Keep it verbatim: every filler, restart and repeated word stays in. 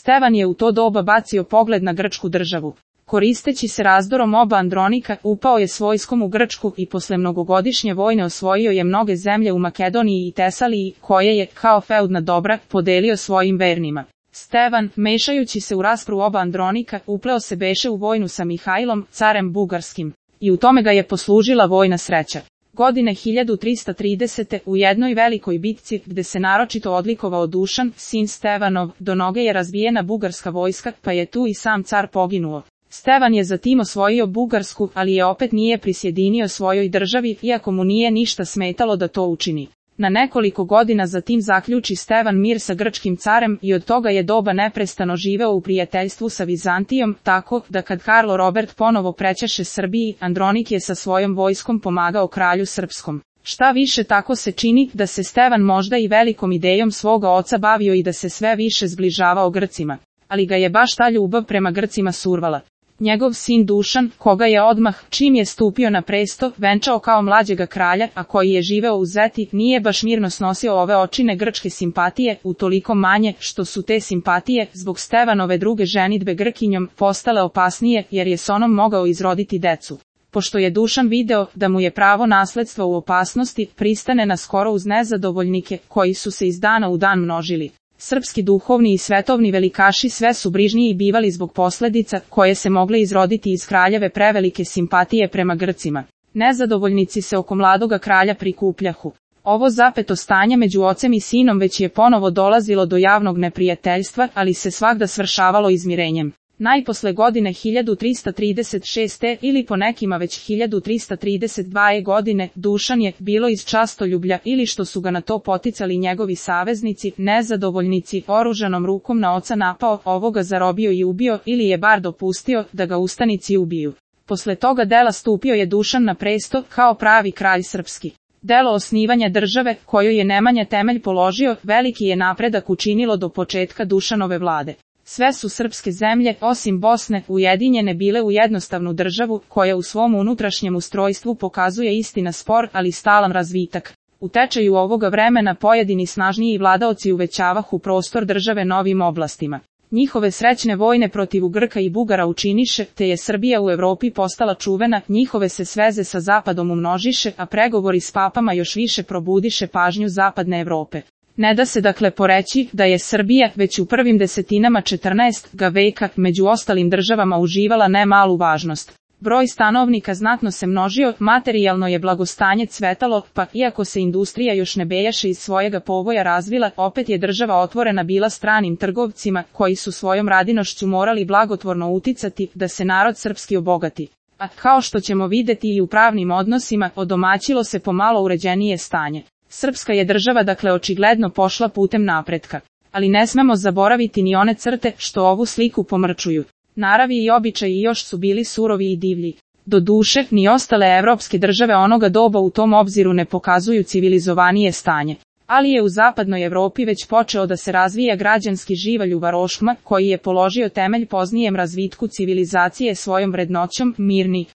Stevan je u to doba bacio pogled na grčku državu. Koristeći se razdorom oba Andronika, upao je s vojskom u Grčku i posle mnogogodišnje vojne osvojio je mnoge zemlje u Makedoniji i Tesaliji, koje je, kao feudna dobra, podelio svojim vernima. Stevan, mešajući se u raspravu oba Andronika, upleo se beše u vojnu sa Mihajlom, carem bugarskim, i u tome ga je poslužila vojna sreća. Godine hiljadu trista tridesete. u jednoj velikoj bitci, gde se naročito odlikovao Dušan, sin Stevanov, do noge je razbijena bugarska vojska, pa je tu i sam car poginuo. Stevan je zatim osvojio Bugarsku, ali je opet nije prisjedinio svojoj državi, iako mu nije ništa smetalo da to učini. Na nekoliko godina zatim zaključi Stevan mir sa grčkim carem i od toga je doba neprestano živeo u prijateljstvu sa Vizantijom, tako da kad Karlo Robert ponovo prećaše Srbiji, Andronik je sa svojom vojskom pomagao kralju srpskom. Šta više, tako se čini da se Stevan možda i velikom idejom svoga oca bavio i da se sve više zbližavao Grcima. Ali ga je baš ta ljubav prema Grcima survala. Njegov sin Dušan, koga je odmah, čim je stupio na presto, venčao kao mlađega kralja, a koji je živeo u Zeti, nije baš mirno snosio ove očine grčke simpatije, utoliko manje, što su te simpatije, zbog Stevanove druge ženidbe Grkinjom, postale opasnije, jer je s onom mogao izroditi decu. Pošto je Dušan video da mu je pravo nasledstva u opasnosti, pristane na skoro uz nezadovoljnike, koji su se iz dana u dan množili. Srpski duhovni i svetovni velikaši sve su brižniji bivali zbog posledica koje se mogle izroditi iz kraljeve prevelike simpatije prema Grcima. Nezadovoljnici se oko mladoga kralja prikupljahu. Ovo zapeto stanje među ocem i sinom već je ponovo dolazilo do javnog neprijateljstva, ali se svagda svršavalo izmirenjem. Najposle godine hiljadu trista trideset šeste. ili po nekima već hiljadu trista trideset druge. godine, Dušan je, bilo iz častoljublja ili što su ga na to poticali njegovi saveznici, nezadovoljnici, oružanom rukom na oca napao, ovoga zarobio i ubio, ili je bar dopustio da ga ustanici ubiju. Posle toga dela stupio je Dušan na presto kao pravi kralj srpski. Delo osnivanja države, koju je Nemanja temelj položio, veliki je napredak učinilo do početka Dušanove vlade. Sve su srpske zemlje, osim Bosne, ujedinjene bile u jednostavnu državu, koja u svom unutrašnjem ustrojstvu pokazuje istina spor, ali stalan razvitak. U tečaju ovoga vremena pojedini snažniji vladaoci uvećavahu prostor države novim oblastima. Njihove srećne vojne protiv Grka i Bugara učiniše, te je Srbija u Evropi postala čuvena, njihove se sveze sa zapadom umnožiše, a pregovori s papama još više probudiše pažnju zapadne Evrope. Ne da se dakle poreći da je Srbija već u prvim desetinama četrnaestog veka među ostalim državama uživala ne malu važnost. Broj stanovnika znatno se množio, materijalno je blagostanje cvetalo, pa iako se industrija još ne bejaše iz svojega povoja razvila, opet je država otvorena bila stranim trgovcima, koji su svojom radinošću morali blagotvorno uticati da se narod srpski obogati. A kao što ćemo videti i u pravnim odnosima, odomaćilo se pomalo uređenije stanje. Srpska je država dakle očigledno pošla putem napretka. Ali ne smemo zaboraviti ni one crte što ovu sliku pomrčuju. Naravi i običaji još su bili surovi i divlji. Doduše, ni ostale evropske države onoga doba u tom obziru ne pokazuju civilizovanije stanje. Ali je u zapadnoj Evropi već počeo da se razvija građanski živalj u varoškama, koji je položio temelj poznijem razvitku civilizacije svojom vrednoćom, mirni,